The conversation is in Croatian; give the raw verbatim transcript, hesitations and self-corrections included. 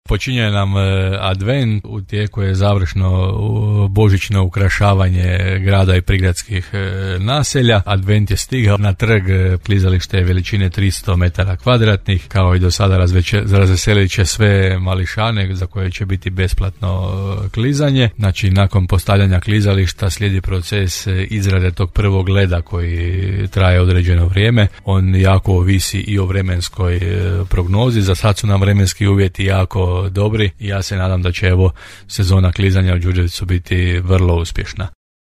Počinje nam advent, u tijeku je završno božićno ukrašavanje grada i prigradskih naselja. Advent je stigao na trg, klizalište veličine tristo metara kvadratnih, kao i do sada razveselit će sve mališane za koje će biti besplatno klizanje. Znači, nakon postavljanja klizališta slijedi proces izrade tog prvog leda koji traje određeno vrijeme. On jako ovisi i o vremenskoj prognozi. Za sad su nam vremenski uvjeti jako dobri i ja se nadam da će evo sezona klizanja u Đurđevcu biti vrlo uspješna.